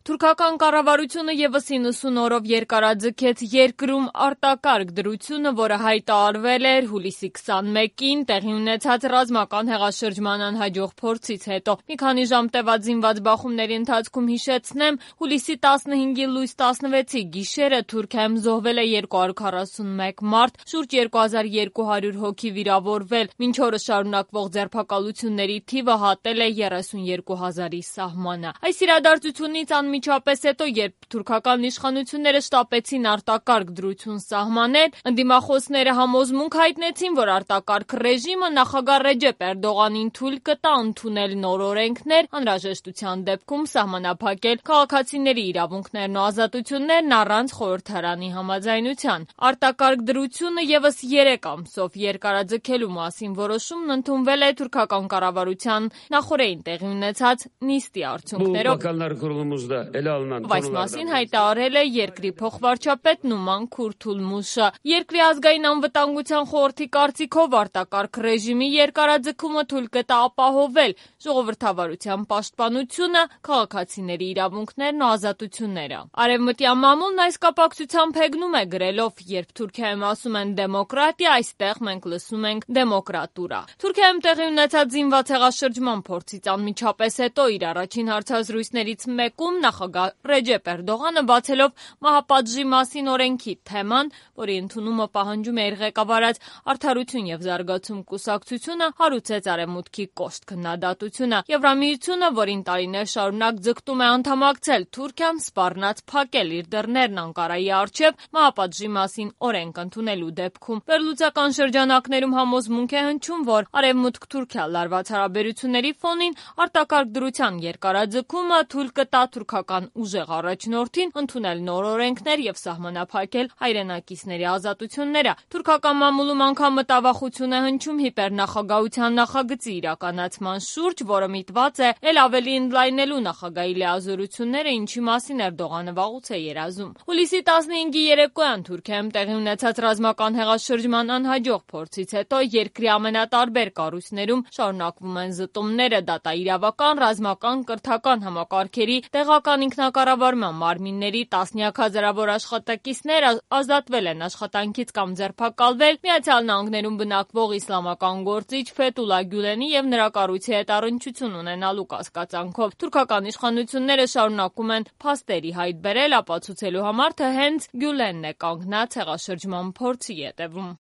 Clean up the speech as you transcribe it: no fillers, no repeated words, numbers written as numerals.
Թուրքական կառավարությունը ևս 90 օրով երկարաձգեց երկրում արտակարգ դրությունը, որը հայտարարվել էր հուլիսի 21-ին տեղի ունեցած ռազմական հեղաշրջման անհաջող փորձից հետո։ Մի քանի ժամ տևած զինված բախումների ընթացքում հիշեցնեմ, հուլիսի 15-ի լույս 16-ի գիշերը Թուրքիայում զոհվել է 241 մարդ, շուրջ 2200 հոգի վիրավորվել, մինչ օրս շարունակվող ձերբակալությունների թիվը հատել է 32,000-ի սահմանը։ Այս իրադարձությունից անմիջապես հետո, երբ թուրքական իշխանությունները շտապեցին արտակարգ դրություն սահմանել, ընդդիմախոսները համոզմունք հայտնեցին, որ արտակարգ ռեժիմը նախագահ Ռեջեփ Էրդողանին թույլ կտա ընդունել նոր օրենքներ, անհրաժեշտության դեպքում սահմանափակել քաղաքացիների իրավունքներն ու ազատություններն առանց խորհրդարանի համաձայնության։ Արտակարգ դրությունը ևս 3 ամսով երկարաձգելու մասին որոշումն ընդունվել է թուրքական կառավարության նախօրեին տեղի ունեցած նիստի արդյունքներով։ Այս մասին հայտարարել է երկրի փոխվարչապետ Նուման Քուրթուլմուշը։ Երկրի ազգային անվտանգության խորհրդի կարծիքով արտակարգ ռեժիմի երկարաձգումը թույլ կտա ապահովել ժողովրդավարության պաշտպանությունը, քաղաքացիների իրավունքներն ու ազատությունները։ Արևմտյան մամուլն այս կապակցությամբ հեգնում է գրելով. երբ Թուրքիայում ասում են դեմոկրատիա, այստեղ մենք լսում ենք դեմոկրատուրա։ Թուրքիայում տեղի ունեցած զինված հեղաշրջման փորձից անմիջապես հետո իր առաջին հարցազրույցներից մեկում նախագահ Ռեջեփ Էրդողանը բացելով մահապատժի մասին օրենքի թեման, որի ընդունումը պահանջում է իր ղեկավարած Արդարություն եւ զարգացում կուսակցությունը, հարուցեց Արևմուտքի կոշտ քննադատությունը։ Եվրամիությունը, որին տարիներ շարունակ ձգտում է անդամակցել Թուրքիան, սպառնաց փակել իր դռներն Անկարայի առջև մահապատժի մասին օրենք ընդունելու դեպքում։ Վերլուծական շրջանակներում համոզմունք է հնչում, որ Արևմուտք-Թուրքիա լարված հարաբերությունների ֆոնին արտակարգ դրության երկարաձգումը թույլ կտա թուրքական ուժեղ առաջնորդին ընդունել նոր օրենքներ եւ սահմանափակել հայրենակիցների ազատությունները։ Թուրքական մամուլում անգամ մտավախություն է հնչում հիպերնախագահության նախագծի իրականացման շուրջ, որը միտված է ել ավելի ընդլայնելու նախագահի լիազորությունները, ինչի մասին Էրդողանը վաղուց է երազում։ Հուլիսի 15-ի երեկոյան Թուրքիայում տեղի ունեցած ռազմական հեղաշրջման անհաջող փորձից հետո երկրի ամենատարբեր կառույցներում շարունակվում են զտումները, դատաիրավական, ռազմական, կրթական համակարգերի, տեղական ինքնակառավարման մարմինների տասնյակ հազարավոր աշխատակիցներ ազատվել են աշխատանքից կամ ձերբակալվել Միացյալ Նահանգներում բնակվող իսլամական գործիչ Ֆեթուլա Գյուլենի եւ նրա կառույցի հետ առնչություն ունենալու կասկածանքով։ Թուրքական իշխանությունները շարունակում են փաստերի հայտ բերել, ապացուցելու համար, թե հենց Գյուլենն է կանգնած հեղաշրջման փորձի ետևում։